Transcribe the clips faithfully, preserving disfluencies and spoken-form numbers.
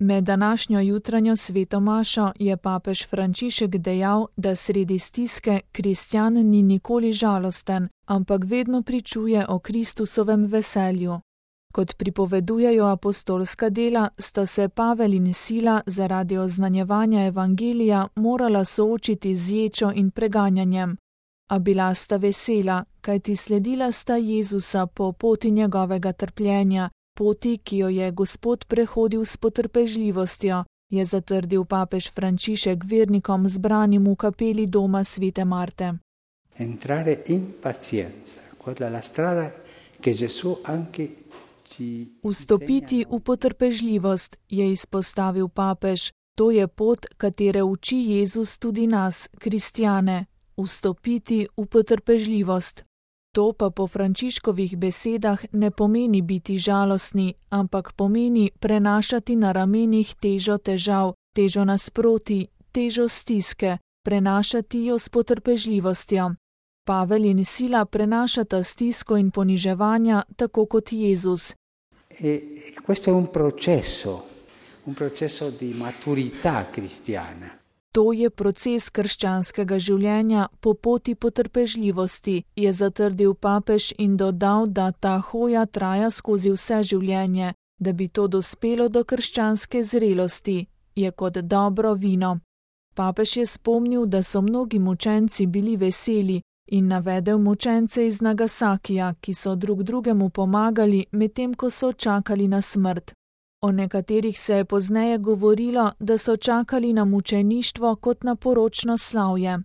Med današnjo jutranjo svetomašo je papež Frančišek dejal, da sredi stiske kristjan ni nikoli žalosten, ampak vedno pričuje o Kristusovem veselju. Kot pripovedujejo apostolska dela, sta se Pavel in Sila zaradi oznanjevanja evangelija morala soočiti z ječo in preganjanjem. A bila sta vesela, kajti sledila sta Jezusa po poti njegovega trpljenja, poti, ki jo je Gospod prehodil s potrpežljivostjo, je zatrdil papež Frančišek vernikom zbranim v kapeli doma svete Marte. Entrare in pazienza, quella la strada che Gesù anche ci Vstopiti v potrpežljivost, je izpostavil papež, to je pot, katere uči Jezus tudi nas, kristjane, vstopiti v potrpežljivost. To pa po Frančiškovih besedah ne pomeni biti žalostni, ampak pomeni prenašati na ramenih težo težav, težo nasproti, težo stiske, prenašati jo s potrpežljivostjo. Pavel in Sila prenašata stisko in poniževanja tako kot Jezus. E questo è un processo, un processo di maturità cristiana. To je proces krščanskega življenja po poti potrpežljivosti, je zatrdil papež in dodal, da ta hoja traja skozi vse življenje, da bi to dospelo do krščanske zrelosti, je kot dobro vino. Papež je spomnil, da so mnogi mučenci bili veseli in navedel mučence iz Nagasakija, ki so drug drugemu pomagali, medtem ko so čakali na smrt. O nekaterih se je pozneje govorilo, da so čakali na mučeništvo kot na poročno slavje.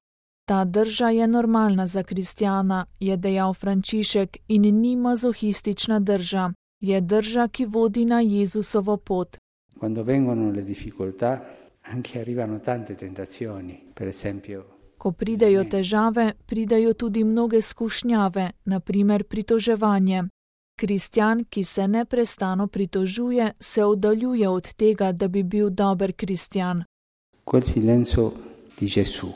Ta drža je normalna za kristjana, je dejal Frančišek, in ni mazohistična drža. Je drža, ki vodi na Jezusovo pot. Quando vengono le difficoltà, anche arrivano tante tentazioni, per esempio. Ko pridejo težave, pridejo tudi mnoge skušnjave, na primer pritoževanje. Kristjan, ki se neprestano pritožuje, se oddaljuje od tega, da bi bil dober kristjan. Quel silenzio di Gesù,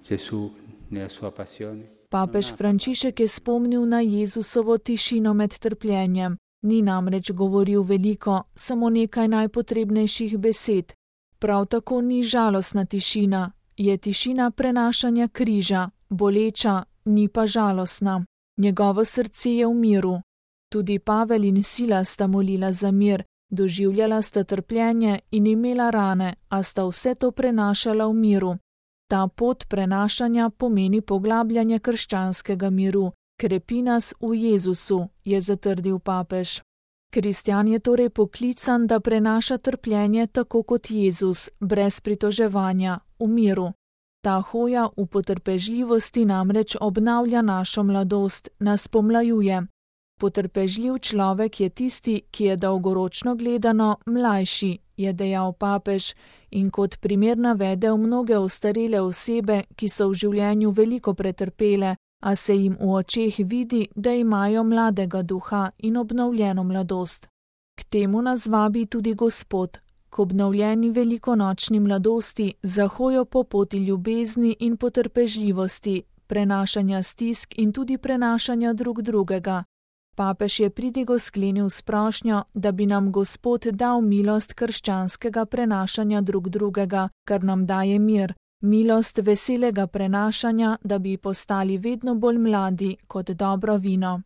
Gesù nella sua passione. Papež Frančišek je spomnil na Jezusovo tišino med trpljenjem. Ni namreč govoril veliko, samo nekaj najpotrebnejših besed. Prav tako ni žalostna tišina, je tišina prenašanja križa, boleča, ni pa žalostna. Njegovo srce je v miru. Tudi Pavel in Sila sta molila za mir, doživljala sta trpljenje in imela rane, a sta vse to prenašala v miru. Ta pot prenašanja pomeni poglabljanje krščanskega miru, krepi nas v Jezusu, je zatrdil papež. Kristjan je torej poklican, da prenaša trpljenje tako kot Jezus, brez pritoževanja, v miru. Ta hoja v potrpežljivosti namreč obnavlja našo mladost, nas pomlajuje. Potrpežljiv človek je tisti, ki je dolgoročno gledano mlajši, je dejal papež in kot primer navedel mnoge ostarele osebe, ki so v življenju veliko pretrpele, a se jim v očeh vidi, da imajo mladega duha in obnovljeno mladost. K temu nas vabi tudi Gospod, k obnovljeni velikonočni mladosti, za hojo po poti ljubezni in potrpežljivosti, prenašanja stisk in tudi prenašanja drug drugega. Papež je pridigo sklenil s prošnjo, da bi nam Gospod dal milost krščanskega prenašanja drug drugega, kar nam daje mir, milost veselega prenašanja, da bi postali vedno bolj mladi kot dobro vino.